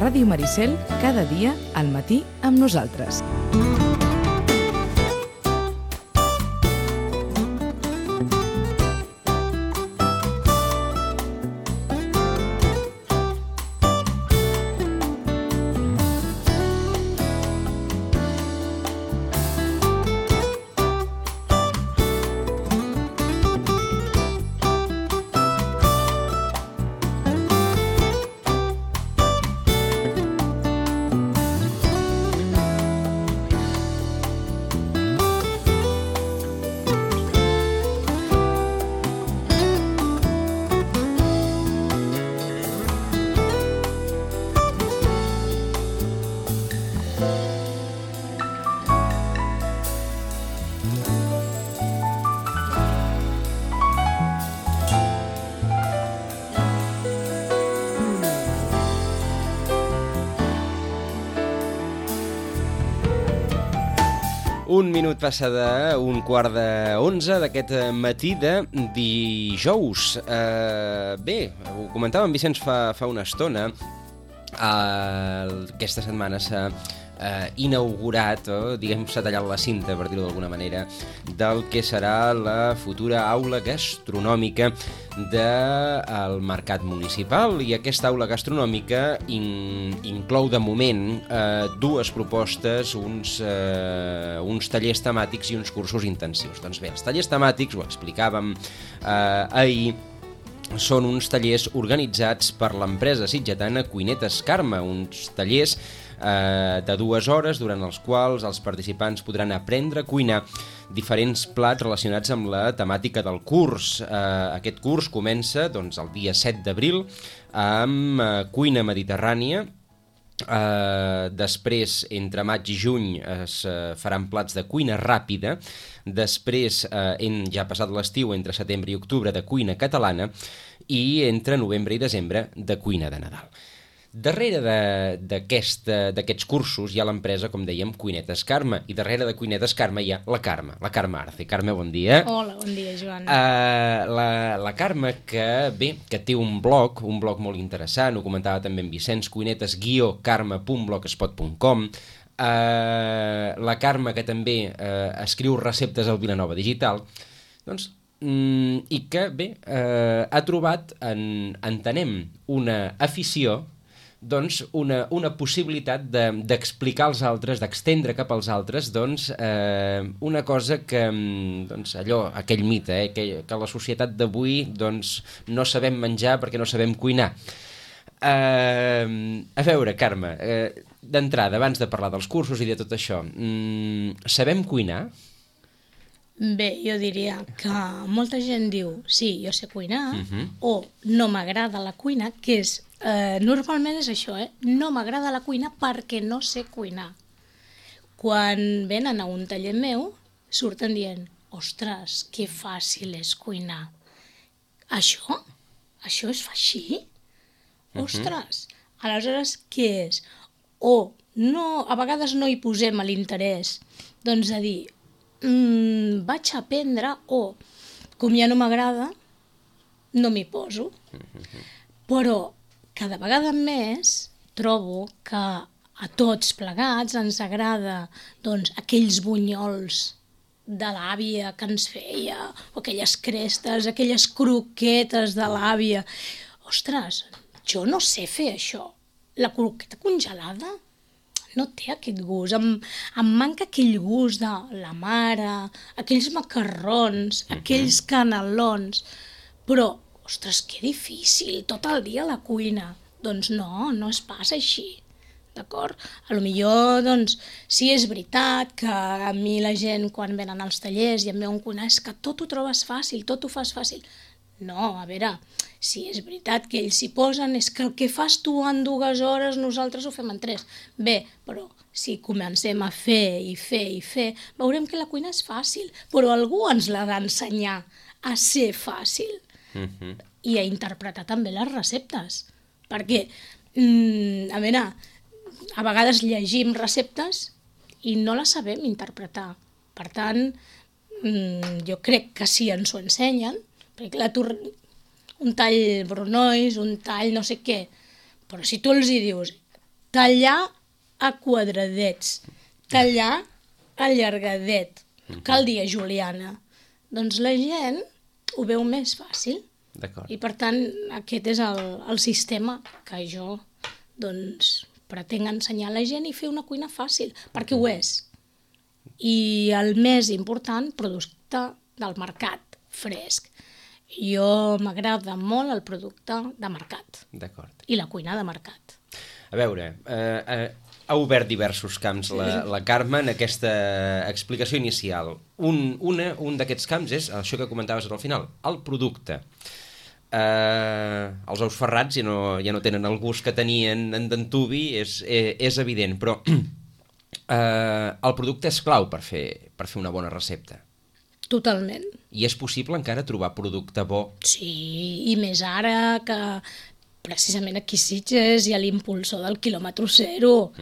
Ràdio Maricel, cada dia al matí amb nosaltres. Un minut passa d'un 10:15 d'aquest matí de dijous. Bé, ho comentava en Vicenç fa una estona. Aquesta setmana s'ha inaugurat, o diguem s'ha tallat la cinta, per dir-ho d'alguna manera, del que serà la futura aula gastronòmica del Mercat Municipal. I aquesta aula gastronòmica inclou de moment dues propostes, uns tallers temàtics i uns cursos intensius. Doncs bé, els tallers temàtics, ho explicàvem ahir, són uns tallers organitzats per l'empresa sitgetana Cuinetes Carme, uns tallers de 2 hores durant els quals els participants podran aprendre a cuinar diferents plats relacionats amb la temàtica del curs. Aquest curs comença doncs, el dia 7 d'abril amb cuina mediterrània. Després, entre maig i juny, es faran plats de cuina ràpida. Després, ja passat l'estiu, entre setembre i octubre, de cuina catalana. I entre novembre i desembre, de cuina de Nadal. Darrere d'aquests cursos hi ha l'empresa, com dèiem, Cuinetes Carme, i darrere de Cuinetes Carme hi ha la Carme Arce. Carme, bon dia. Hola, bon dia, Joan. La Carme, que té un blog molt interessant, ho comentava també en Vicenç, cuinetes-carme.blogspot.com. La Carme, que també escriu receptes al Vilanova Digital, doncs, i que, ha trobat, entenem, una afició, doncs una possibilitat d'explicar als altres, d'extendre cap als altres, doncs una cosa que, doncs aquell mite, que la societat d'avui doncs no sabem menjar perquè no sabem cuinar. A veure, Carme, d'entrada, abans de parlar dels cursos i de tot això, sabem cuinar? Bé, jo diria que molta gent diu, sí, jo sé cuinar, o no m'agrada la cuina, que és, normalment és això, no m'agrada la cuina perquè no sé cuinar. Quan venen a un taller meu, surten dient, ostres, que fàcil és cuinar. Això? Això es fa així? Ostres, aleshores què és? O no, a vegades no hi posem l'interès, doncs a dir, vaig a aprendre, o com ja no m'agrada, no m'hi poso. Però cada vegada més trobo que a tots plegats ens agrada doncs, aquells bunyols de l'àvia que ens feia, o aquelles crestes, aquelles croquetes de l'àvia. Ostres, jo no sé fer això. La croqueta congelada no té aquest gust, em manca aquell gust de la mare, aquells macarrons, aquells canelons, però, ostres, que difícil, tot el dia a la cuina. Doncs no es passa així, d'acord? Potser, doncs, sí és veritat que a mi la gent, quan venen als tallers i em veuen cuinar, és que tot ho trobes fàcil, tot ho fas fàcil. No, a veure, si és veritat que ells s'hi posen, és que el que fas tu en 2 hores nosaltres ho fem en 3. Bé, però si comencem a fer i fer, veurem que la cuina és fàcil, però algú ens l'ha d'ensenyar a ser fàcil i a interpretar també les receptes. Perquè, a veure, a vegades llegim receptes i no les sabem interpretar. Per tant, jo crec que si ens ho ensenyen, perquè clar, un tall brunois, un tall no sé què, però si tu els hi dius tallar a quadradets, tallar allargadet, cal dir a juliana. Doncs la gent ho veu més fàcil. D'acord. I per tant, aquest és el sistema que jo doncs, pretenc ensenyar a la gent i fer una cuina fàcil, perquè ho és. I el més important, producte del mercat, fresc. Jo m'agrada molt el producte de mercat. D'acord. I la cuina de mercat. A veure, ha obert diversos camps la Carme en aquesta explicació inicial. Un d'aquests camps és això que comentaves al final, el producte. Els ous ferrats ja no tenen el gust que tenien en d'antuvi, és evident, però el producte és clau per fer una bona recepta. Totalment. I és possible encara trobar producte bo? Sí, i més ara que precisament aquí a Sitges hi ha l'impulsor del quilòmetre zero.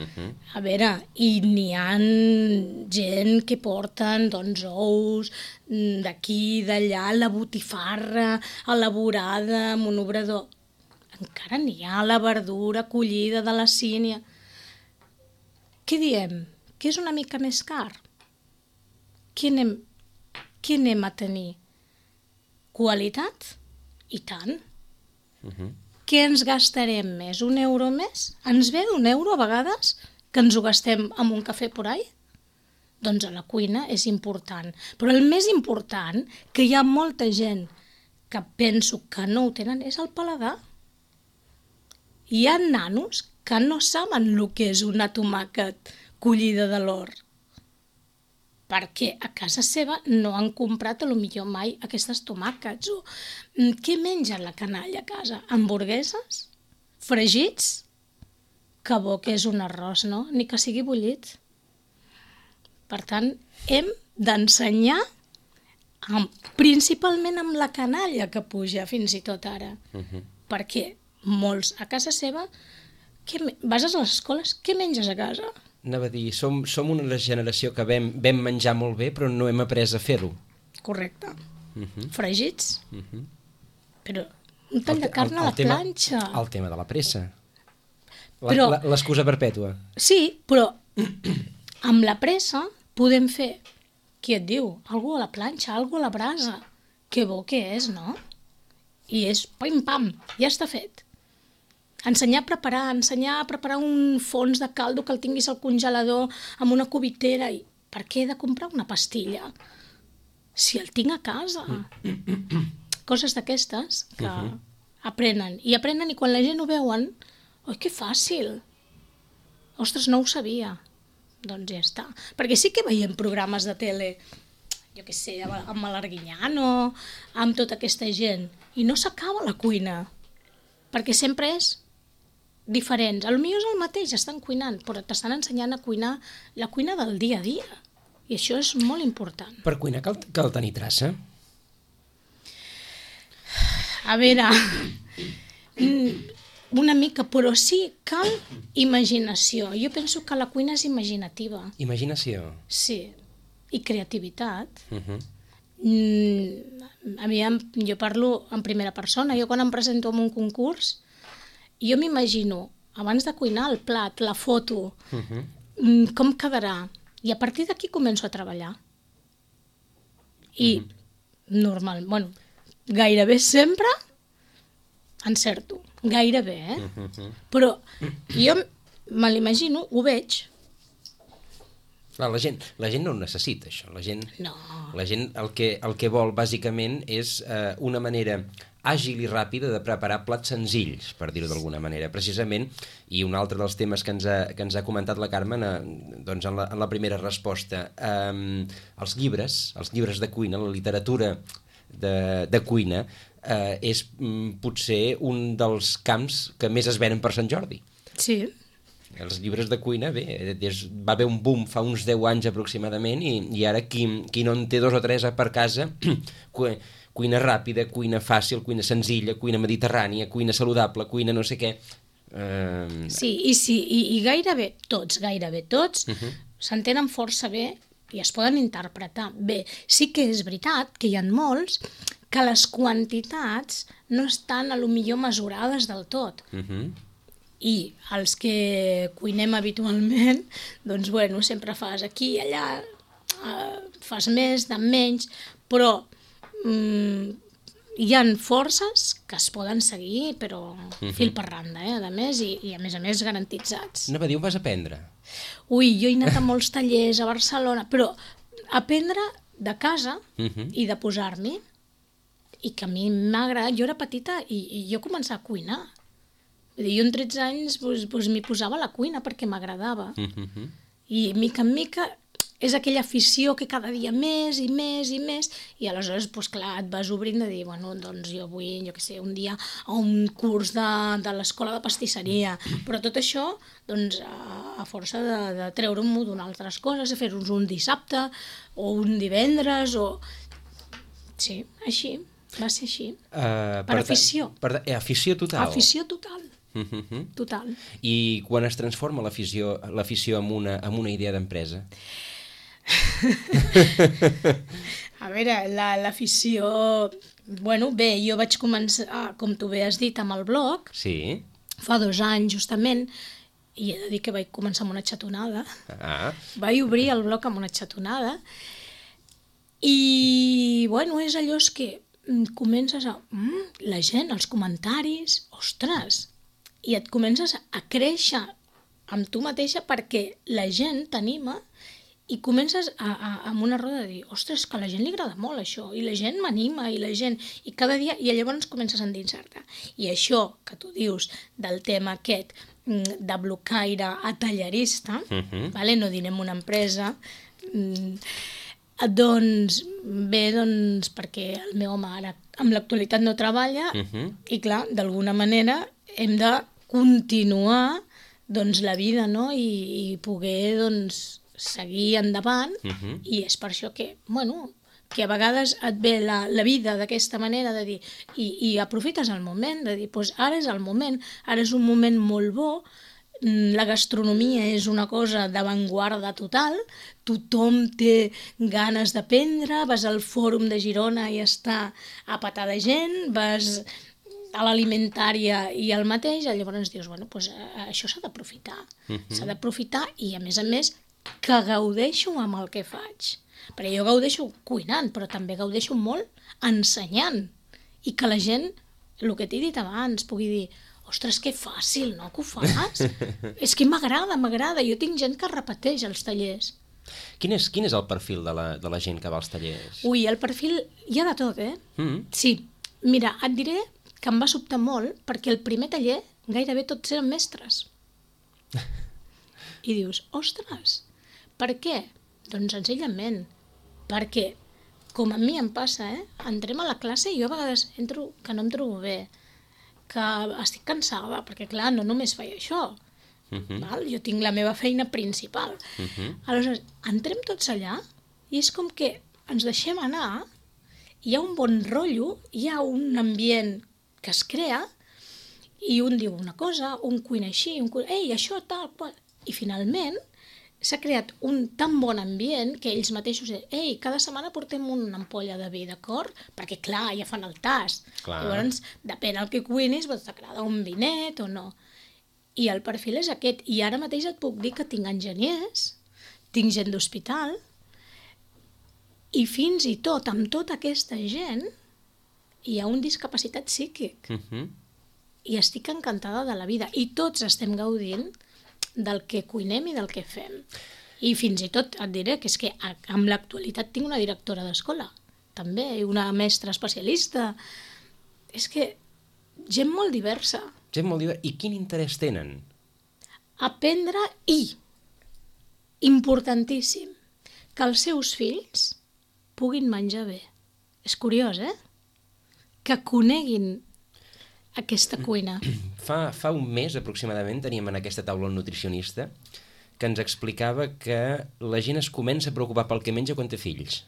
A veure, i n'hi ha gent que porten doncs, ous d'aquí, d'allà, la botifarra elaborada amb un obrador. Encara n'hi ha la verdura collida de la sínia. Què diem? Que és una mica més car? Què anem a tenir? Qualitat? I tant. Què ens gastarem més? Un euro més? Ens ve d'un euro a vegades que ens ho gastem amb un cafè por ahí? Doncs a la cuina és important. Però el més important, que hi ha molta gent que penso que no ho tenen, és el paladar. Hi ha nanos que no saben el que és una tomàquet collida de l'hort. Perquè a casa seva no han comprat potser mai aquestes tomàquets. O què menja la canalla a casa? Hamburgueses? Fregits? Que bo que és un arròs, no? Ni que sigui bullit. Per tant, hem d'ensenyar principalment amb la canalla que puja fins i tot ara. Perquè molts a casa seva, vas a les escoles, què menges a casa? Anava a dir, som una generació que vam menjar molt bé, però no hem après a fer-ho. Correcte. Fregits. Però un tall de carn a la planxa. El tema de la pressa. L'excusa perpètua. Sí, però amb la pressa podem fer, qui et diu, algú a la planxa, algú a la brasa. Que bo que és, no? I és pim-pam, ja està fet. Ensenyar a preparar un fons de caldo que el tinguis al congelador amb una cubitera. I per què he de comprar una pastilla? Si el tinc a casa. Coses d'aquestes que aprenen. I aprenen i quan la gent ho veuen, oi, que fàcil. Ostres, no ho sabia. Doncs ja està. Perquè sí que veiem programes de tele, jo què sé, amb l'Arguiñano, amb tota aquesta gent, i no s'acaba la cuina. Perquè sempre és diferents. Potser és el mateix, estan cuinant, però t'estan ensenyant a cuinar la cuina del dia a dia. I això és molt important. Per cuinar cal tenir traça? A veure, una mica, però sí, cal imaginació. Jo penso que la cuina és imaginativa. Imaginació? Sí, i creativitat. Jo parlo en primera persona. Jo quan em presento en un concurs, jo m'imagino, abans de cuinar, el plat, la foto, com quedarà. I a partir d'aquí començo a treballar. I gairebé sempre encerto. Gairebé, Però jo me l'imagino, ho veig. Clar, la gent no ho necessita, això. La gent el que vol, bàsicament, és una manera àgil i ràpida de preparar plats senzills, per dir-ho d'alguna manera. Precisament, i un altre dels temes que ens ha comentat la Carmen doncs en la primera resposta, els llibres de cuina, la literatura de cuina, és potser un dels camps que més es venen per Sant Jordi. Sí. Els llibres de cuina, bé, va haver un boom fa uns 10 anys aproximadament i ara qui no en té 2 o 3 per casa, cuina ràpida, cuina fàcil, cuina senzilla, cuina mediterrània, cuina saludable, cuina no sé què. Sí, i gairebé tots s'entenen força bé i es poden interpretar bé. Sí que és veritat que hi ha molts que les quantitats no estan potser mesurades del tot. i els que cuinem habitualment, doncs bueno, sempre fas aquí i allà, fas més, de menys, però hi ha forces que es poden seguir, però fil per randa, a més, i a més garantitzats. Anava a dir, on vas aprendre? Ui, jo he anat a molts tallers a Barcelona, però aprendre de casa i de posar-m'hi, i que a mi m'ha agradat. Jo era petita i jo començava a cuinar. Vull dir, jo amb 13 anys m'hi posava a la cuina perquè m'agradava. I mica en mica és aquella afició que cada dia més i més i més, i aleshores, doncs clar, et vas obrint de dir, bueno, doncs jo vull, jo què sé, un dia a un curs de l'escola de pastisseria, però tot això, doncs, a força de treure-m'ho d'unes altres coses, de fer-nos un dissabte o un divendres, o... Sí, així, va ser així. Per afició. Afició total. Afició total. Total. I quan es transforma l'afició en una idea d'empresa? A veure, l'afició... Bueno, bé, jo vaig començar, com tu bé has dit, amb el blog. Sí. Fa 2 anys, justament, i he de dir que vaig començar amb una xatonada. Vaig obrir el blog amb una xatonada. I, bueno, és allò que comences a... la gent, els comentaris, ostres! I et comences a créixer amb tu mateixa perquè la gent t'anima i comences amb una roda de dir, ostres, que a la gent li agrada molt això, i la gent m'anima, i la gent... I cada dia, i llavors comences a endinsar-te. I això que tu dius del tema aquest de blocaire a tallerista, no direm una empresa, doncs bé, doncs, perquè el meu home ara en l'actualitat no treballa, i clar, d'alguna manera hem de continuar doncs, la vida, no? I poder doncs, seguir endavant, i és per això que, bueno, que a vegades et ve la vida d'aquesta manera de dir, i aprofites el moment, de dir, doncs ara és el moment, ara és un moment molt bo, la gastronomia és una cosa d'avantguarda total, tothom té ganes d'aprendre, vas al Fòrum de Girona i està a petar de gent, vas a l'alimentària i el mateix, llavors dius, bueno, doncs això s'ha d'aprofitar. S'ha d'aprofitar i, a més, que gaudeixo amb el que faig. Perquè jo gaudeixo cuinant, però també gaudeixo molt ensenyant. I que la gent, el que t'he dit abans, pugui dir, ostres, que fàcil, no?, que ho fas. És que m'agrada. Jo tinc gent que repeteix els tallers. Quin és el perfil de la gent que va als tallers? Ui, el perfil hi ha de tot, Sí. Mira, et diré que em va sobtar molt perquè el primer taller gairebé tots eren mestres. I dius, ostres, per què? Doncs senzillament, perquè, com a mi em passa, entrem a la classe i jo a vegades entro que no em trobo bé, que estic cansada, perquè clar, no només faig això, val? Jo tinc la meva feina principal. Aleshores, entrem tots allà i és com que ens deixem anar, hi ha un bon rotllo, hi ha un ambient que es crea, i un diu una cosa, un cuina així, ei, això tal, qual... I finalment s'ha creat un tan bon ambient que ells mateixos diuen, ei, cada setmana portem una ampolla de vi, d'acord? Perquè clar, ja fan el tast. Llavors, depèn del que cuinis, t'agrada un vinet o no. I el perfil és aquest. I ara mateix et puc dir que tinc enginyers, tinc gent d'hospital, i fins i tot, amb tota aquesta gent, hi ha un discapacitat psíquic. I estic encantada de la vida. I tots estem gaudint del que cuinem i del que fem. I fins i tot et diré que és que en l'actualitat tinc una directora d'escola, també, i una mestra especialista. És que gent molt diversa. Gent molt diversa. I quin interès tenen? Aprendre i, importantíssim, que els seus fills puguin menjar bé. És curiós, Que coneguin aquesta cuina. Fa un mes, aproximadament, teníem en aquesta taula un nutricionista que ens explicava que la gent es comença a preocupar pel que menja quan té fills.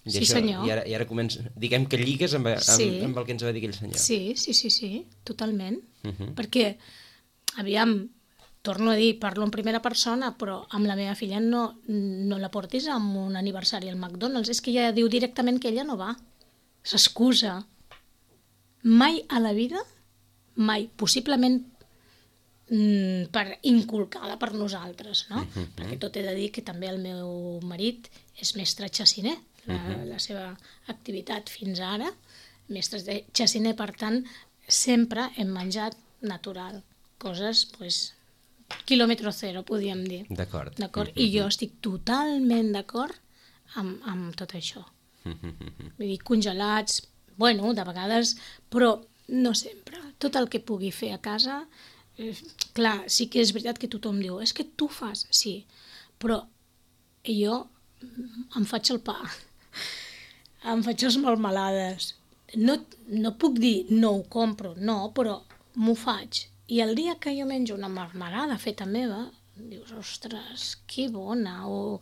Sí, senyor. I ara comença, diguem que lligues amb el que ens va dir aquell senyor. Sí, totalment. Perquè, aviam, torno a dir, parlo en primera persona, però amb la meva filla no la portis a un aniversari al McDonald's. És que ella diu directament que ella no va. S'excusa. Mai a la vida, mai, possiblement per inculcada per nosaltres, no? Perquè tot he de dir que també el meu marit és mestre xaciner, la seva activitat fins ara, mestre xaciner, per tant, sempre hem menjat natural, coses, doncs, quilòmetre zero, podríem dir. D'acord. I jo estic totalment d'acord amb tot això. Vull dir, congelats, bueno, de vegades, però no sempre. Tot el que pugui fer a casa, clar, sí que és veritat que tothom diu, és que tu fas, sí, però jo em faig el pa, em faig les melmelades. No puc dir no ho compro, no, però m'ho faig. I el dia que jo menjo una melmelada feta meva, dius, ostres, que bona, o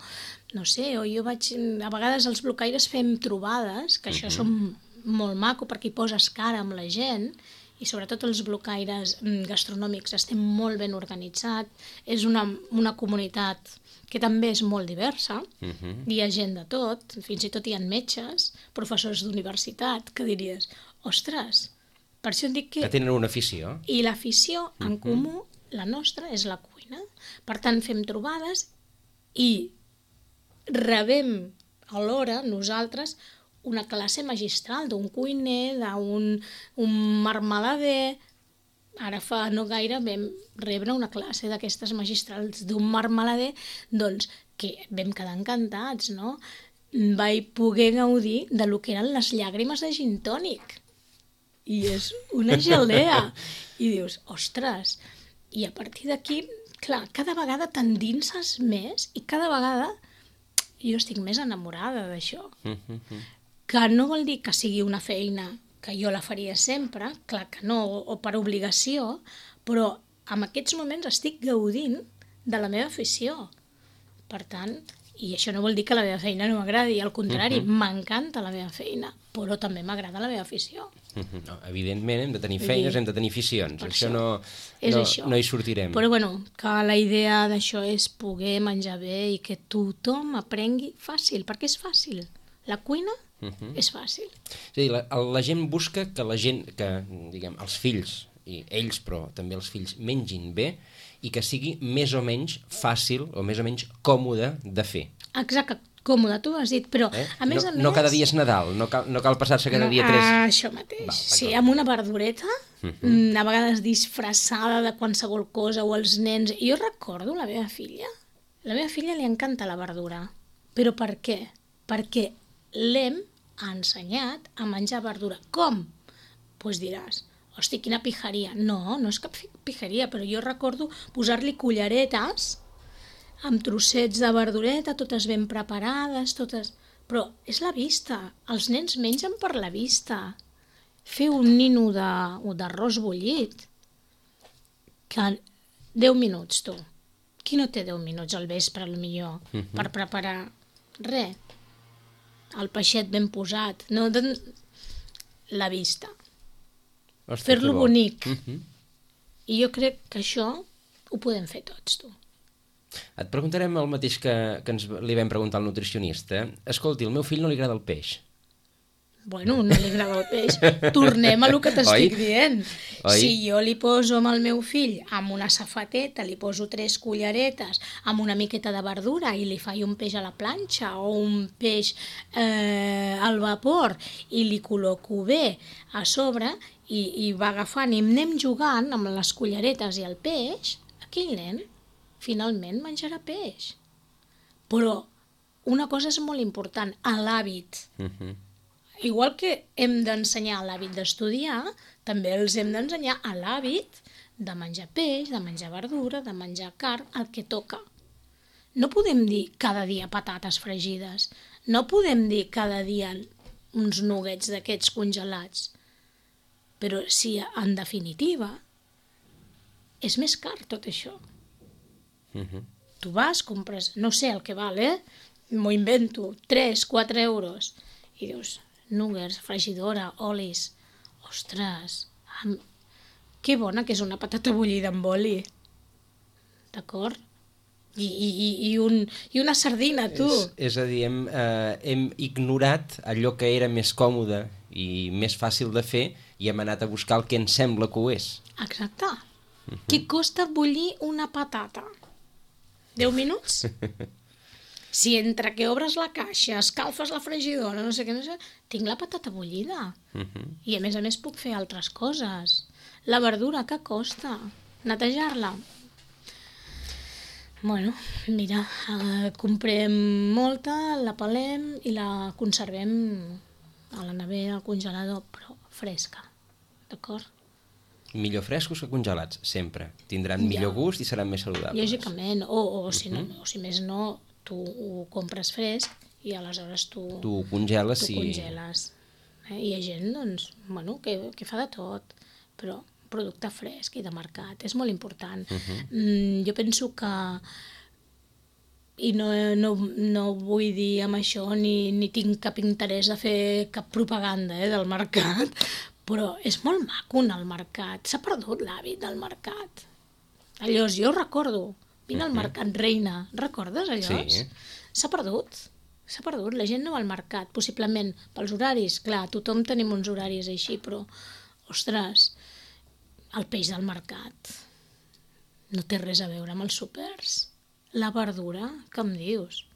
no sé, o jo vaig... A vegades els blocaires fem trobades, que això són molt maco perquè hi poses cara amb la gent, i sobretot els blocaires gastronòmics estem molt ben organitzats, és una comunitat que també és molt diversa, hi ha gent de tot, fins i tot hi ha metges, professors d'universitat, que diries, ostres, per això et dic que... Que tenen una afició. I l'afició en comú, la nostra, és la cuina. Per tant, fem trobades i rebem alhora nosaltres una classe magistral d'un cuiner, d'un marmelader. Ara fa no gaire vam rebre una classe d'aquestes magistrals d'un marmelader, doncs que vam quedar encantats, no? Vaig poder gaudir de lo que eren les llàgrimes de gin tònic. I és una gelea. I dius, ostres, i a partir d'aquí, clar, cada vegada t'endinses més i cada vegada jo estic més enamorada d'això. Que no vol dir que sigui una feina que jo la faria sempre, clar que no, o per obligació, però en aquests moments estic gaudint de la meva afició. Per tant, i això no vol dir que la meva feina no m'agradi, al contrari, m'encanta la meva feina, però també m'agrada la meva afició. No, evidentment hem de tenir feines, hem de tenir aficions, això no hi sortirem. Però bueno, que la idea d'això és poder menjar bé i que tothom aprengui fàcil, perquè és fàcil. La cuina és fàcil. És a dir, la gent busca que la gent, que diguem, els fills, i ells però també els fills, mengin bé i que sigui més o menys fàcil o més o menys còmode de fer. Exacte, còmode, tu ho has dit, però a més a més... No cada dia és Nadal, no cal passar-se cada dia 3... Això mateix, sí, amb una verdureta, a vegades disfressada de qualsevol cosa, o els nens... Jo recordo la meva filla li encanta la verdura, però per què? Perquè l'hem ensenyat a menjar verdura. Com? Doncs diràs, hosti, quina pijaria. No, no és cap pijaria, però jo recordo posar-li culleretes amb trossets de verdureta, totes ben preparades, totes... Però és la vista. Els nens mengen per la vista. Fer un nino d'arròs bullit, que 10 minuts, tu. Qui no té 10 minuts al vespre, potser, per preparar res? El peixet ben posat, no? La vista. Ostres, fer-lo bonic. I jo crec que això ho podem fer tots, tu. Et preguntarem el mateix que li vam preguntar al nutricionista. Escolti, al meu fill no li agrada el peix. Bueno, no li agrada el peix. Tornem a lo que t'estic dient. Si jo li poso amb el meu fill amb una safateta, li poso 3 culleretes amb una miqueta de verdura i li faig un peix a la planxa o un peix al vapor i li col·loco bé a sobre i va agafant i anem jugant amb les culleretes i el peix, aquell nen finalment menjarà peix. Però una cosa és molt important, l'hàbit. Igual que hem d'ensenyar l'hàbit d'estudiar, també els hem d'ensenyar l'hàbit de menjar peix, de menjar verdura, de menjar carn, el que toca. No podem dir cada dia patates fregides, no podem dir cada dia uns nuggets d'aquests congelats, però si en definitiva és més car tot això. Tu vas, compres, no sé el que val, m'ho invento, 3-4 euros, i dius... nuggets, fregidora, olis... Ostres, que bona que és una patata bullida amb oli. D'acord? I una sardina, tu. És a dir, hem ignorat allò que era més còmode i més fàcil de fer i hem anat a buscar el que ens sembla que ho és. Exacte. Què costa bullir una patata? 10 minuts? Si entre que obres la caixa, escalfes la fregidora, no sé què, tinc la patata bullida. I a més puc fer altres coses. La verdura, què costa? Netejar-la? Bueno, mira, comprem molta, la pelem i la conservem a la nevera, al congelador, però fresca, d'acord? Millor frescos que congelats, sempre. Tindran millor gust i seran més saludables. Lògicament, o si més no, tu ho compres fresc i aleshores tu ho congeles. I hi ha gent, doncs, bueno, que fa de tot, però producte fresc i de mercat, és molt important. Jo penso que, i no vull dir amb això ni tinc cap interès de fer cap propaganda del mercat, però és molt maco anar al mercat, s'ha perdut l'hàbit del mercat. Allò, jo recordo, vine al mercat, reina, recordes allò? Sí. S'ha perdut, la gent no va al mercat, possiblement pels horaris, clar, tothom tenim uns horaris així, però, ostres, el peix del mercat no té res a veure amb els súpers. La verdura, què em dius?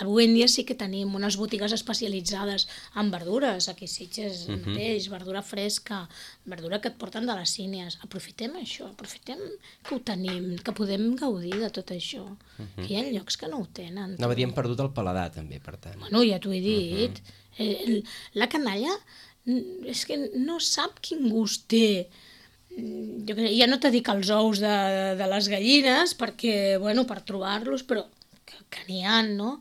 Avui en dia sí que tenim unes botigues especialitzades en verdures, aquí a Sitges mateix, verdura fresca, verdura que et porten de les sínies. Aprofitem això, aprofitem que ho tenim, que podem gaudir de tot això. Que hi ha llocs que no ho tenen. Anava a dir, hem perdut el paladar també, per tant. Bueno, ja t'ho he dit. La canalla és que no sap quin gust té. Jo ja no t'he dit els ous de les gallines, perquè, bueno, per trobar-los, però que n'hi ha, no?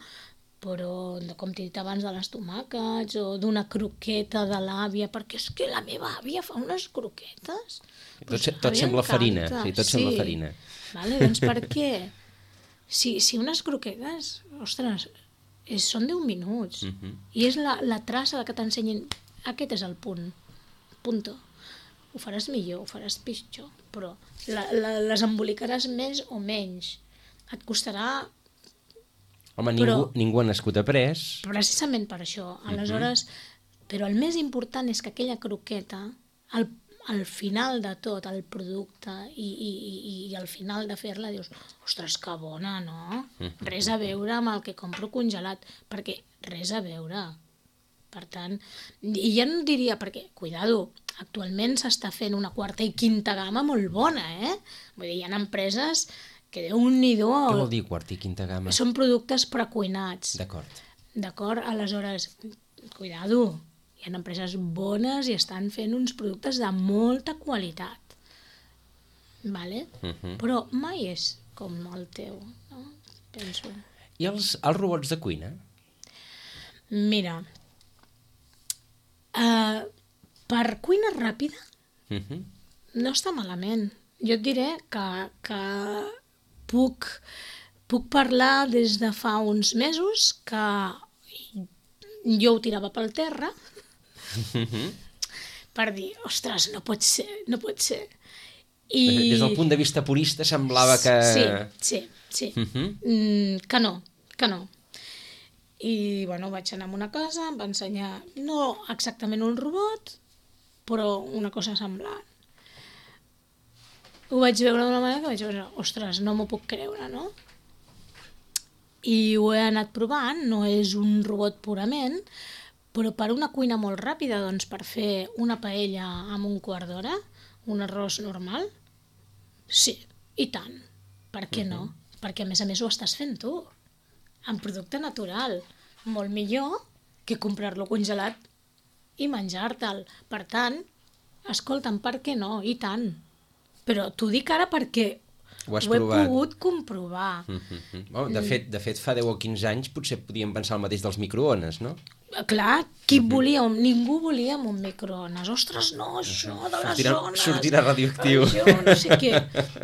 Però, com t'he dit abans, de les tomàquets o d'una croqueta de l'àvia, perquè és que la meva àvia fa unes croquetes. Tot sembla farina, sí, tot sembla farina. Vale, doncs per què? Si unes croquetes, ostres, són 10 minuts, i és la traça que t'ensenyin, aquest és el punt, punto. Ho faràs millor, ho faràs pitjor, però les embolicaràs més o menys. Et costarà... Home, ningú ha nascut après. Precisament per això. Aleshores, però el més important és que aquella croqueta, al final de tot, el producte, i al final de fer-la, dius, ostres, que bona, no? Res a veure amb el que compro congelat, perquè res a veure. Per tant, i ja no diria, perquè, cuidado, actualment s'està fent una quarta i quinta gamma molt bona, Vull dir, hi ha empreses que Déu-n'hi-do... Què vol dir quarta i quinta gamma? Són productes precuinats. D'acord. Aleshores, cuidado, hi ha empreses bones i estan fent uns productes de molta qualitat. Vale? Però mai és com el teu, no? Penso. I els robots de cuina? Mira, per cuina ràpida no està malament. Jo et diré que puc parlar des de fa uns mesos que jo ho tirava pel terra per dir, ostres, no pot ser. Des del punt de vista purista semblava que... Sí. Que no. I, bueno, vaig anar a una casa, em va ensenyar, no exactament un robot, però una cosa semblant. Ho vaig veure d'una manera que vaig veure, ostres, no m'ho puc creure, no? I ho he anat provant, no és un robot purament, però per una cuina molt ràpida, doncs per fer una paella amb un quart d'hora, un arròs normal, sí, i tant. Per què no? Perquè a més ho estàs fent tu, en producte natural. Molt millor que comprar-lo congelat i menjar-te'l. Per tant, escolta'm, per què no? I tant. Però t'ho dic ara perquè ho he pogut comprovar. De fet, fa 10 o 15 anys potser podíem pensar el mateix dels microones, no? Clar, ningú volia un microones. Ostres, no, això de les zones... Sortirà radioactiu. Això, no sé què.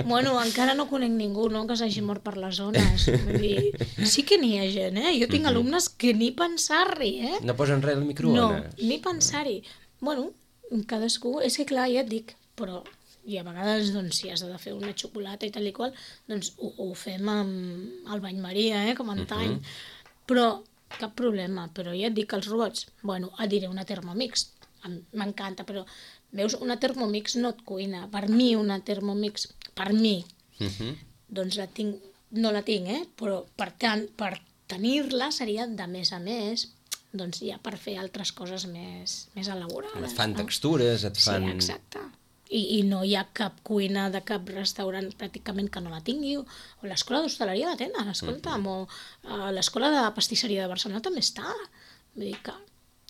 Bueno, encara no conec ningú, no?, que s'hagi mort per les zones. Vull dir, sí que n'hi ha gent, Jo tinc alumnes que ni pensar-hi, No posen res al microones? No, ni pensar-hi. Bueno, cadascú... És que clar, ja et dic, però... I a vegades, doncs, si has de fer una xocolata i tal i qual, doncs ho fem amb el bany Maria, com antany. Però cap problema. Però ja et dic que els robots, bueno, et diré una Thermomix, m'encanta, però Veus, una Thermomix no et cuina. Per mi, una Thermomix, doncs no la tinc, però per tant, per tenir-la seria de més a més, doncs ja per fer altres coses més elaborades. Et fan textures, et fan... Sí, exacte. I no hi ha cap cuina de cap restaurant pràcticament que no la tingui, o l'escola d'hostaleria la tenen, escolta'm, o l'escola de pastisseria de Barcelona també està. Vull dir que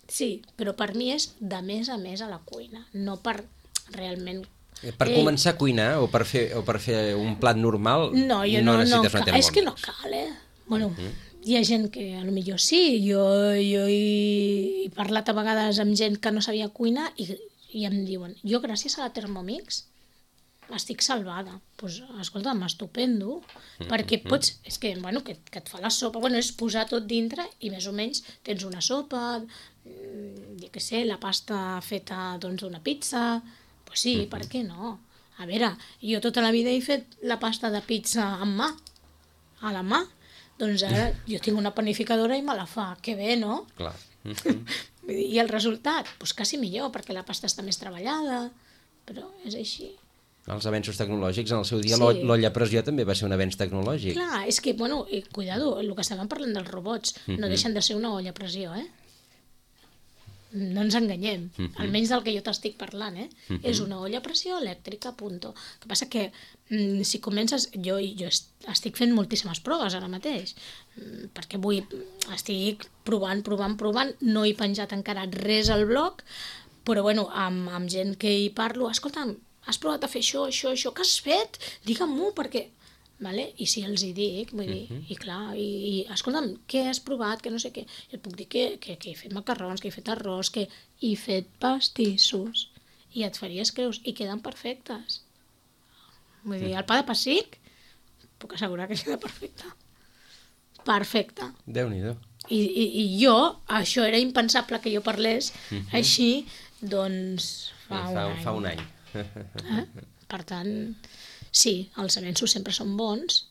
sí, però per mi és de més a més a la cuina, no per realment... Per començar a cuinar o per fer un plat normal no necessites una Thermomix. És que no cal, Bueno, hi ha gent que potser sí, jo he parlat a vegades amb gent que no sabia cuinar i em diuen, jo gràcies a la Thermomix estic salvada. Doncs, escolta'm, estupendo, perquè pots, és que et fa la sopa, és posar tot dintre i més o menys tens una sopa, jo què sé, la pasta feta d'una pizza, doncs sí, per què no? A veure, jo tota la vida he fet la pasta de pizza amb mà, a la mà, doncs ara jo tinc una panificadora i me la fa, que bé, no? Clar. I el resultat? Doncs quasi millor, perquè la pasta està més treballada, però és així. Els avenços tecnològics, en el seu dia l'olla a pressió també va ser un avenç tecnològic. Clar, és que, cuidado, el que estàvem parlant dels robots, no deixen de ser una olla a pressió, No ens enganyem, almenys del que jo t'estic parlant, És una olla a pressió elèctrica, punto. El que passa que si comences... Jo estic fent moltíssimes proves ara mateix, perquè estic provant, no he penjat encara res al blog, però amb gent que hi parlo, escolta'm, has provat a fer això, què has fet? Digue-m'ho, perquè... Vale? I si els hi dic, vull dir, i clar, i escolta'm, què has provat, que no sé què, i et puc dir que he fet macarrons, que he fet arròs, que he fet pastissos, i et faries creus, i queden perfectes. Vull dir, el pa de pessic, puc assegurar que queda perfecte. Perfecte. Déu-n'hi-do. I jo, això era impensable que jo parlés així, doncs, fa un any. Per tant... Sí, els avenços sempre són bons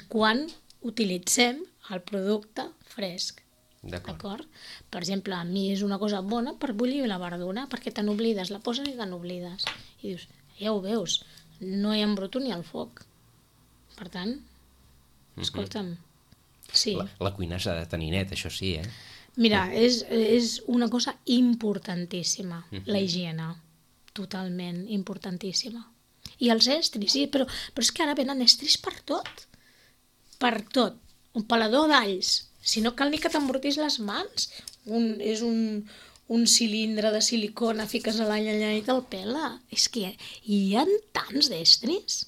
quan utilitzem el producte fresc. D'acord? Per exemple, a mi és una cosa bona per bullir la verdura, perquè te n'oblides, la poses i te n'oblides. I dius, ja ho veus, no hi embruto ni al foc. Per tant, escolta'm, sí. La cuina s'ha de tenir net, això sí, Mira, és una cosa importantíssima, la higiene, totalment importantíssima. I els estris, sí, però és que ara venen estris per tot. Per tot. Un pelador d'alls. Si no cal ni que t'embrutis les mans. És un cilindre de silicona, fiques a l'all allà i te'l pela. És que hi ha tants d'estris.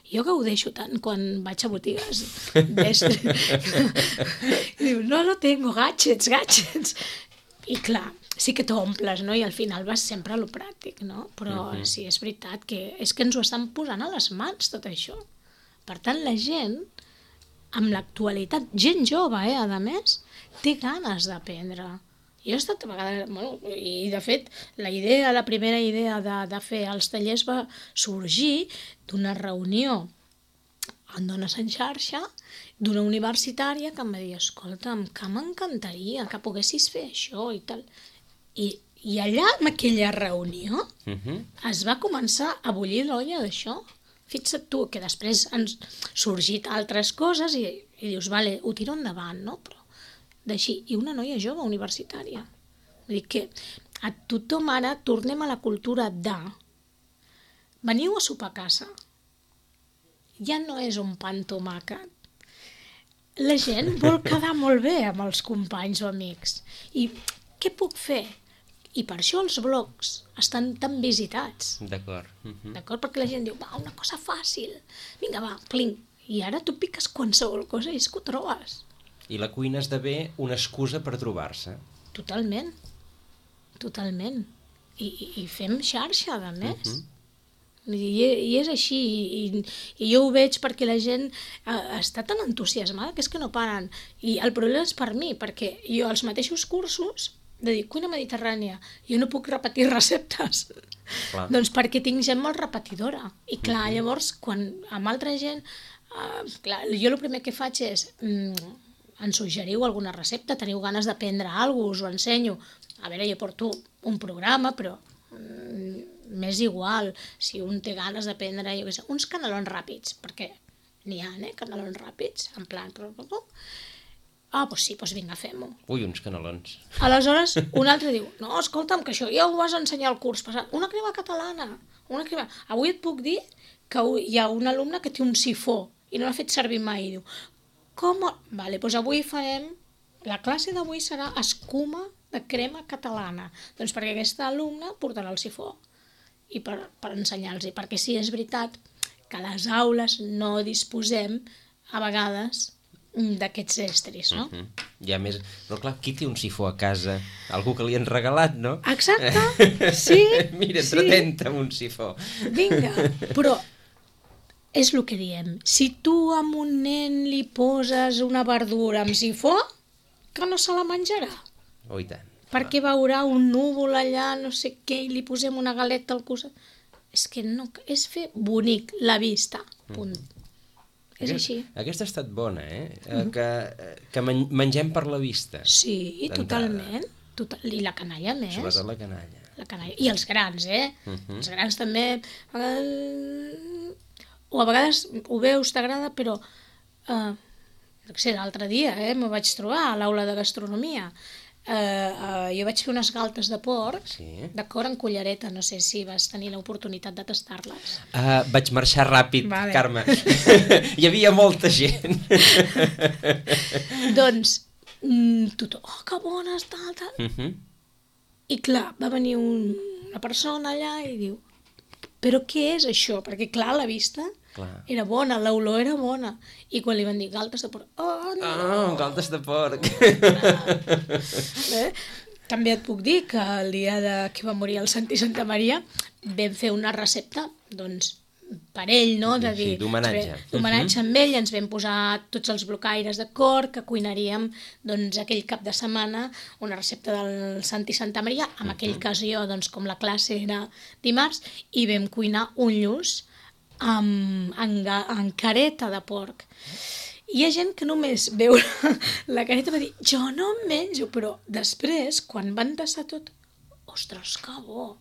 Jo que ho deixo tant quan vaig a botigues d'estris. Diu, no tengo gadgets. I clar, sí que t'omples, no? I al final vas sempre a lo pràctic, no? Però sí, és veritat que és que ens ho estan posant a les mans, tot això. Per tant, la gent, amb l'actualitat, gent jove, a més, té ganes d'aprendre. Jo he estat a vegades... I, de fet, la primera idea de fer els tallers va sorgir d'una reunió en Dones en Xarxa, d'una universitària que em va dir, escolta'm, que m'encantaria que poguessis fer això i tal. I allà, en aquella reunió, es va començar a bullir l'olla d'això. Fixa't tu, que després han sorgit altres coses i dius, vale, ho tiro endavant, no? Però d'així, i una noia jove universitària. Vull dir que a tothom ara tornem a la cultura de veniu a sopar a casa. Ja no és un pa amb tomàquet. La gent vol quedar molt bé amb els companys o amics. I què puc fer? I per això els blogs estan tan visitats. D'acord. D'acord? Perquè la gent diu, va, una cosa fàcil. Vinga, va, pling. I ara tu piques qualsevol cosa i és que ho trobes. I la cuina esdevé una excusa per trobar-se. Totalment. I fem xarxa, a més. I és així, i jo ho veig perquè la gent està tan entusiasmada que és que no paren. I el problema és per mi, perquè jo els mateixos cursos de dir cuina mediterrània, jo no puc repetir receptes. Clar. Doncs perquè tinc gent molt repetidora. I clar, llavors, quan amb altra gent, clar, jo el primer que faig és ens suggeriu alguna recepta, teniu ganes d'aprendre alguna cosa, us ho ensenyo. A veure, jo porto un programa, però m'és igual si un té ganes de prendre, jo què sé, uns canelons ràpids, perquè n'hi ha, canelons ràpids, en plan... Doncs sí, doncs vinga, fem-ho. Ui, uns canelons. Aleshores, un altre diu, no, escolta'm, que això ja ho vas ensenyar al curs passat. Una crema catalana, una crema... Avui et puc dir que hi ha un alumne que té un sifó i no l'ha fet servir mai. I diu, com? Vale, doncs avui farem... La classe d'avui serà escuma de crema catalana. Doncs perquè aquest alumne portarà el sifó i per ensenyar-los. Perquè sí, és veritat que a les aules no disposem a vegades d'aquests estris, no? I a més, però clar, qui té un sifó a casa? Algú que li han regalat, no? Exacte, sí. Mira, entretenta amb un sifó. Vinga, però és el que diem. Si tu a un nen li poses una verdura amb sifó, que no se la menjarà. Oh, i tant. Perquè veurà un núvol allà, no sé què, i li posem una galeta al costat. És que no, és fer bonic la vista, punt. És així. Aquesta ha estat bona, que mengem per la vista. Sí, totalment. I la canalla més. Sobretot la canalla. La canalla. I els grans, Els grans també... O a vegades ho veus, t'agrada, però... No sé, l'altre dia m'ho vaig trobar a l'aula de gastronomia. Jo vaig fer unes galtes de porc, d'acord, en cullereta, no sé si vas tenir l'oportunitat de tastar-les. Vaig marxar ràpid, vale. Carme. Hi havia molta gent. Doncs, tothom, que bones, tal. I clar, va venir una persona allà i diu, però què és això? Perquè clar, la vista... Era bona, l'olor era bona. I quan li van dir galtes de porc... Oh, no! Galtes de porc! També et puc dir que el dia que va morir el Santi Santa Maria vam fer una recepta, doncs, per ell, no? De dir, d'homenatge. D'homenatge amb ell, ens vam posar tots els blocaires d'acord, que cuinaríem doncs, aquell cap de setmana una recepta del Santi Santa Maria, en aquell cas jo, doncs, com la classe era dimarts, i vam cuinar un lluç amb careta de porc. Hi ha gent que només veu la careta va dir, jo no em menjo, però després, quan van tastar tot, ostres, que bo.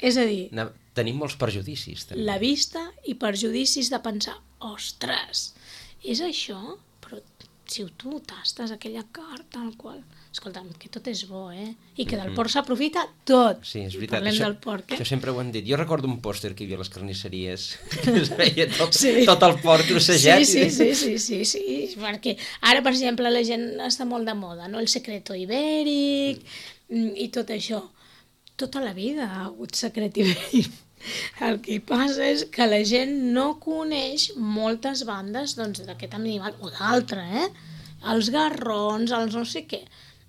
És a dir... Tenim molts perjudicis, també. La vista i perjudicis de pensar, ostres, és això? Però si tu tastes aquella carn tal qual... Escolta'm, que tot és bo, I que del porc s'aprofita tot. Sí, és veritat. Parlem del porc, Això sempre ho han dit. Jo recordo un pòster que hi havia a les carnisseries que es veia tot el porc trossejat. Sí, perquè ara, per exemple, la gent està molt de moda, no? El secreto ibèric i tot això. Tota la vida ha hagut secret ibèric. El que passa és que la gent no coneix moltes bandes d'aquest animal, o d'altre, Els garrons, els no sé què.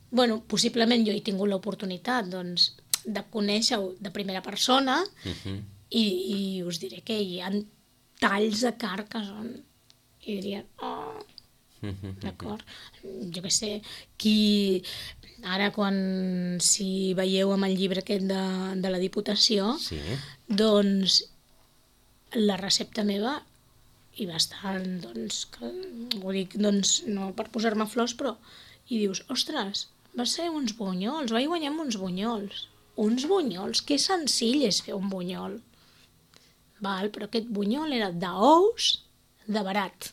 Bueno, possiblement jo he tingut l'oportunitat de conèixer-ho de primera persona i us diré que hi ha talls de carn que són... I dirien, d'acord? Jo què sé, ara si veieu amb el llibre aquest de la Diputació, doncs la recepta meva i bastant, ho dic, no per posar-me flors, però, i dius, ostres, va ser uns bunyols, vaig guanyar amb uns bunyols. Uns bunyols, que senzill és fer un bunyol. Però aquest bunyol era d'ous de barat.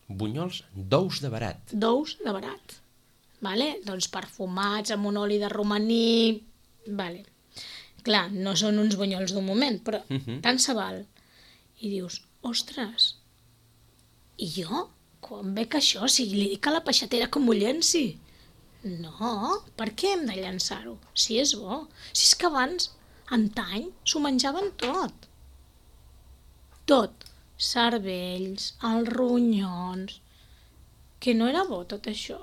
Bunyols d'ous de barat. D'ous de barat. Doncs perfumats amb un oli de romaní. Clar, no són uns bunyols d'un moment, però tant se val. I dius, ostres, i jo, quan veig això, si li dic a la peixatera que m'ho llenci? No, per què hem de llançar-ho? Si és bo. Si és que abans, antany, s'ho menjaven tot. Tot. Cervells, els ronyons... Que no era bo tot això.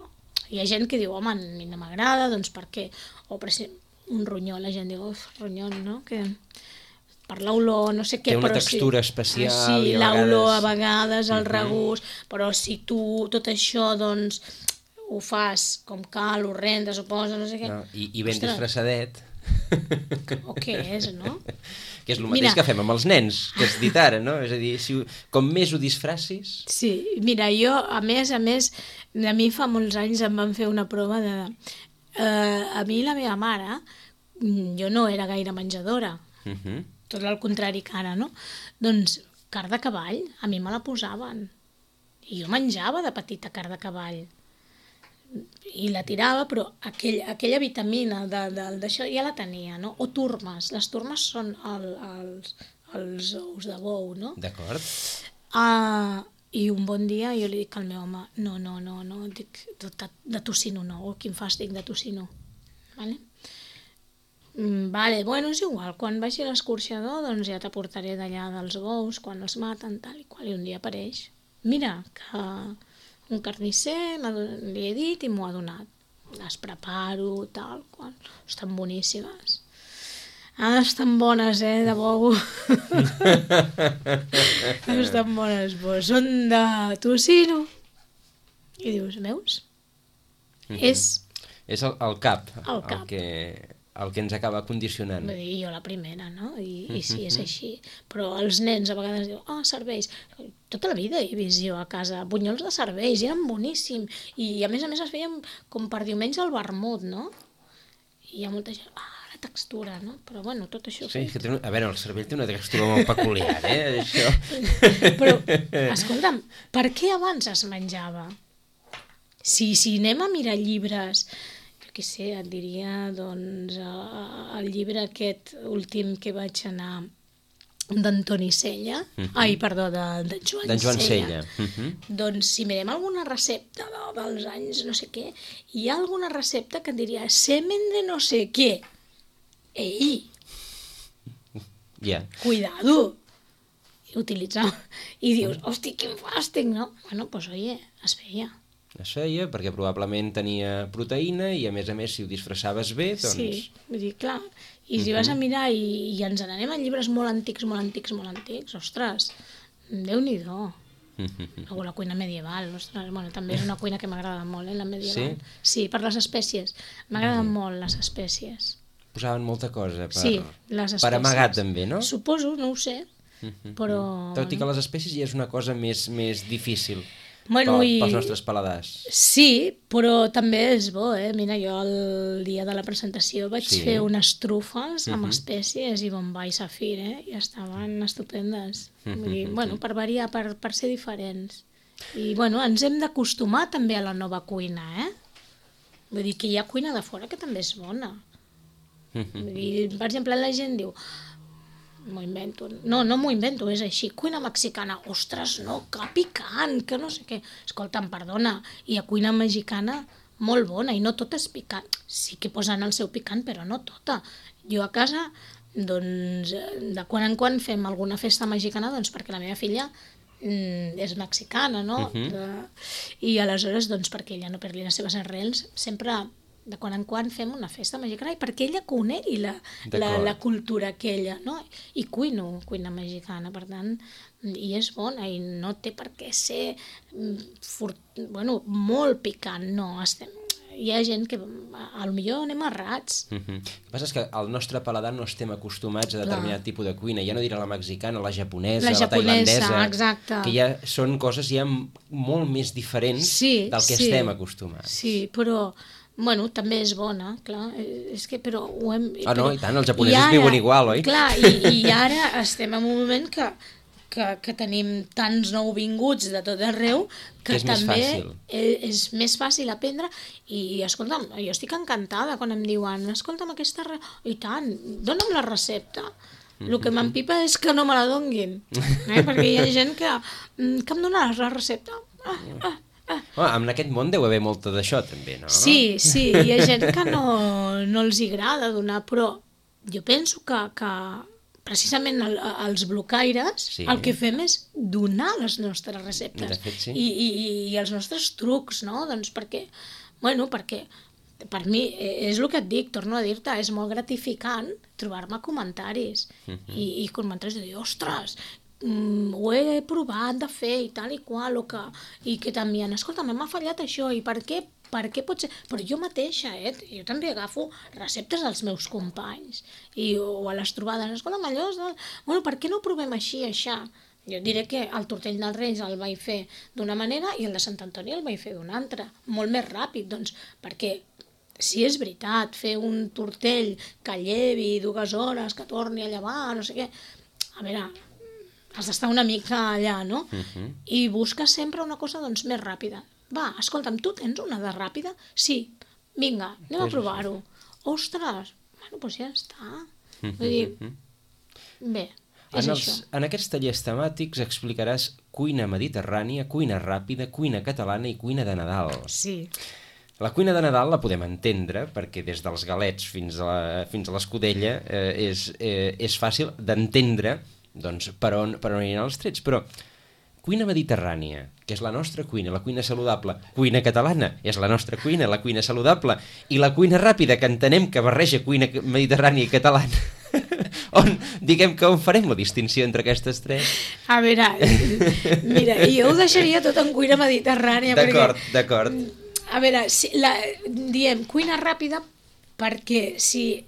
Hi ha gent que diu, home, a mi no m'agrada, doncs per què? O per exemple, un ronyó, la gent diu, ronyó, no? Que... per l'olor, no sé què, té una textura especial. Sí, l'olor a vegades, el regust, però si tu tot això, doncs, ho fas com cal, ho rendes, ho poses, no sé què... I ben disfressadet. O què és, no? Que és el mateix que fem amb els nens, que has dit ara, no? És a dir, com més ho disfressis... Sí, mira, jo, a més, a mi fa molts anys em van fer una prova de... A mi la meva mare, jo no era gaire menjadora, tot el contrari que ara, no? Doncs carn de cavall, a mi me la posaven. I jo menjava de petita carn de cavall. I la tirava, però aquella vitamina d'això ja la tenia, no? O turmes. Les turmes són els ous de bou, no? D'acord. I un bon dia jo li dic al meu home, no, dic, de tocino no, quin fàstic de tocino. Vale? Vale, bueno, és igual, quan vagi a l'escorxador doncs ja t'aportaré d'allà dels bous, quan els maten, tal i qual, i un dia apareix. Mira, que un carnisser li he dit i m'ho ha donat. Les preparo, tal, qual. Estan boníssimes. Estan bones, de bou. Estan bones, són de tocino. I dius, veus? És el cap. El cap. El que ens acaba condicionant. Vull dir, jo la primera, no? I sí, és així. Però els nens a vegades diuen, serveis. Tota la vida he vist jo a casa bunyols de serveis, i eren boníssims. I a més es feien com per diumenge al vermut, no? I hi ha molta gent, la textura, no? Però bueno, tot això... Sí, que a veure, el cervell té una textura molt peculiar, això. Però, escolta'm, per què abans es menjava? Si anem a mirar llibres... què sé, et diria, doncs, el llibre aquest últim que vaig anar d'Antoni Sella, de Joan Sella. Doncs si mirem alguna recepta dels anys no sé què, hi ha alguna recepta que et diria semen de no sé què. Ei! Cuidado! Utilitzar. I dius, hosti, quin fàstic, no? Bueno, doncs, oye, es feia. Es feia perquè probablement tenia proteïna i a més si ho disfressaves bé, doncs... Sí, vull dir, clar, i si vas a mirar i ens n'anem a llibres molt antics, ostres, Déu-n'hi-do. O la cuina medieval, ostres, bueno, també és una cuina que m'agrada molt, la medieval. Sí, per les espècies, m'agraden molt les espècies. Posaven molta cosa sí, les espècies. Per amagar també, no? Suposo, no ho sé, però... Tot i que les espècies ja és una cosa més difícil. Bueno, pels nostres paladars. Sí, però també és bo, Mira, jo el dia de la presentació vaig fer unes trufes amb espècies i bombay i safir, i estaven estupendes. Vull dir, bueno, per variar, per ser diferents. I, bueno, ens hem d'acostumar també a la nova cuina, Vull dir que hi ha cuina de fora que també és bona. Vull dir, per exemple, la gent diu... M'ho invento. No m'ho invento, és així. Cuina mexicana, ostres, no, que picant, que no sé què. Escolta'm, perdona, hi ha cuina mexicana molt bona i no tota és picant. Sí que posen el seu picant, però no tota. Jo a casa, doncs, de quan en quan fem alguna festa mexicana, doncs perquè la meva filla és mexicana, no? I aleshores, doncs, perquè ella no perdi les seves arrels, sempre... de quan en quan fem una festa mexicana i perquè ella conegui la cultura aquella, no? I cuina mexicana, per tant, i és bona i no té per què ser molt picant, no, hi ha gent que potser anem errats. El que passa és que al nostre paladar no estem acostumats a determinat tipus de cuina, ja no diré la mexicana, la japonesa, la tailandesa, exacte. Que ja són coses ja molt més diferents del que estem acostumats. Sí, però... Bueno, també és bona, clar, és que però ho hem... no, i tant, els japonesos viuen igual, oi? Clar, i ara estem en un moment que tenim tants nouvinguts de tot arreu que també és més fàcil aprendre i, escolta'm, jo estic encantada quan em diuen, escolta'm, i tant, dona'm la recepta. El que m'empipa és que no me la donguin, perquè hi ha gent que em donaràs la recepta? En aquest món deu haver molta d'això també, no? Sí, hi ha gent que no els agrada donar, però jo penso que precisament els blocaires el que fem és donar les nostres receptes. De fet, sí. I els nostres trucs, no? Doncs perquè per mi és el que et dic, torno a dir-te, és molt gratificant trobar-me comentaris i comentaris de dir, ostres, ho he provat de fer i tal i qual, i que t'envien, escolta, m'ha fallat això, i per què pot ser? Però jo mateixa, jo també agafo receptes dels meus companys, o a les trobades, escolta, allò, bueno, per què no ho provem així, això? Jo diré que el tortell dels Reis el vaig fer d'una manera i el de Sant Antoni el vaig fer d'una altra, molt més ràpid, doncs, perquè sí, és veritat, fer un tortell que llevi 2 hores, que torni a llevar, no sé què... A veure, has d'estar una mica allà, no? I busques sempre una cosa, doncs, més ràpida. Va, escolta'm, tu tens una de ràpida? Sí. Vinga, anem a provar-ho. Ostres, bueno, doncs ja està. Vull dir, bé, és això. En aquests tallers temàtics explicaràs cuina mediterrània, cuina ràpida, cuina catalana i cuina de Nadal. Sí. La cuina de Nadal la podem entendre perquè des dels galets fins a l'escudella és fàcil d'entendre doncs, per on aniran els trets, però cuina mediterrània, que és la nostra cuina, la cuina saludable, cuina catalana, és la nostra cuina, la cuina saludable, i la cuina ràpida, que entenem que barreja cuina mediterrània i catalana, on farem la distinció entre aquestes tres? A veure, mira, jo ho deixaria tot en cuina mediterrània. D'acord. A veure, diem cuina ràpida perquè si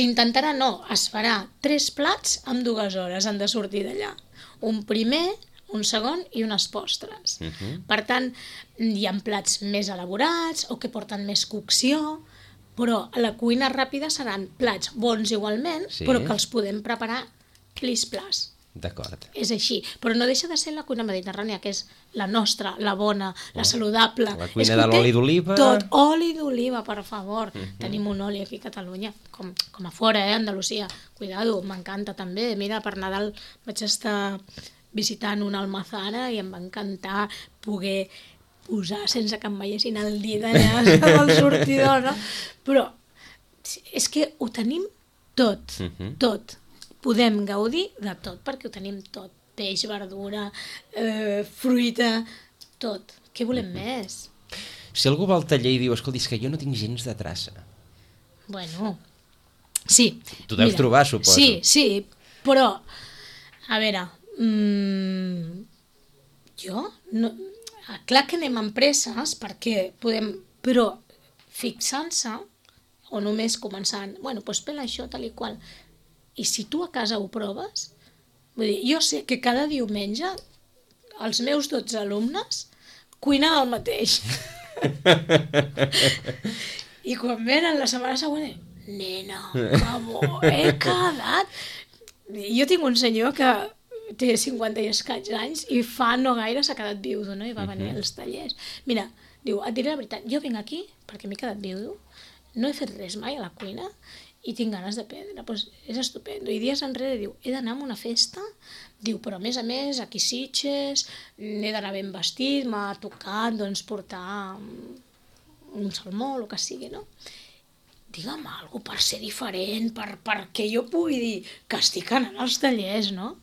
intentarà es farà 3 plats en 2 hores, han de sortir d'allà. Un primer, un segon i unes postres. Per tant, hi ha plats més elaborats o que porten més cocció, però a la cuina ràpida seran plats bons igualment, però que els podem preparar plis-plas. D'acord. És així, però no deixa de ser la cuina mediterrània, que és la nostra, la bona, la saludable. La cuina de l'oli d'oliva. Tot, oli d'oliva, per favor. Tenim un oli aquí a Catalunya, com a fora, Andalusia. Cuidado, m'encanta també. Mira, per Nadal vaig estar visitant una almazara i em va encantar poder posar sense que em veiessin el dit allà al sortidor, no? Però és que ho tenim tot, tot. Podem gaudir de tot, perquè ho tenim tot. Peix, verdura, fruita, tot. Què volem més? Si algú va al taller i diu, escolta, és que jo no tinc gens de traça. Bueno, sí. Tu deus trobar, suposo. Sí, però, a veure, jo, clar que anem amb presses, perquè podem, però fixant-se, o només començant, bueno, doncs pela això, tal i qual. I si tu a casa ho proves, vull dir, jo sé que cada diumenge els meus 12 alumnes cuinen el mateix. I quan venen la setmana següent, nena, que bo, he quedat. Jo tinc un senyor que té 50 i escaig anys i fa no gaire s'ha quedat viudo, no? I va venir als tallers. Mira, diu, et diré la veritat, jo vinc aquí perquè m'he quedat viudo, no he fet res mai a la cuina i tinc ganes d'aprendre, doncs és estupendo. I dies enrere diu, he d'anar a una festa, diu, però a més, aquí Sitges, he d'anar ben vestit, m'ha tocat doncs, portar un salmó, el que sigui, no? Digue'm alguna cosa per ser diferent, perquè jo pugui dir que estic anant als tallers, no?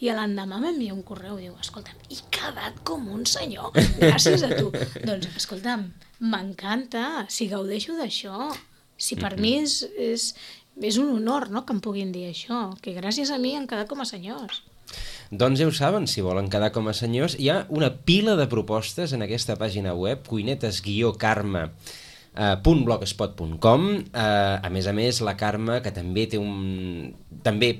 I l'endemà m'envia un correu i diu, escolta'm, he quedat com un senyor, gràcies a tu. Doncs, escolta'm, m'encanta, si gaudeixo d'això. Si per mi és un honor, no?, que em puguin dir això, que gràcies a mi han quedat com a senyors. Doncs ja ho saben, si volen quedar com a senyors, hi ha una pila de propostes en aquesta pàgina web, cuinetes-carme.blogspot.com. A més, la Carme, que també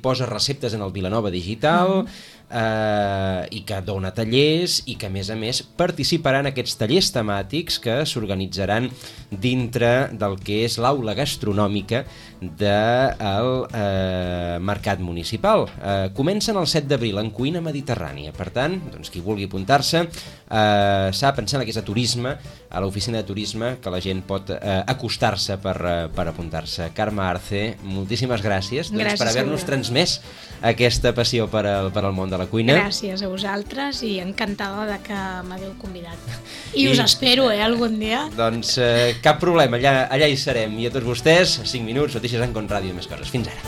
posa receptes en el Vilanova Digital, i que dona tallers i que a més participarà en aquests tallers temàtics que s'organitzaran dintre del que és l'aula gastronòmica del Mercat Municipal. Comencen el 7 d'abril en cuina mediterrània, per tant, doncs, qui vulgui apuntar-se s'ha pensat que és a turisme, a l'oficina de turisme, que la gent pot acostar-se per apuntar-se. Carme Arce, moltíssimes gràcies per haver-nos transmès aquesta passió per al món de la cuina. Gràcies a vosaltres i encantada de que m'hagueu convidat. I us espero, algun dia. Doncs cap problema, allà hi serem. I a tots vostès, 5 minuts, notícies en Con Ràdio i més coses. Fins ara.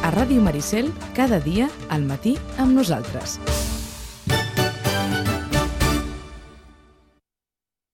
A Ràdio Maricel, cada dia al matí amb nosaltres.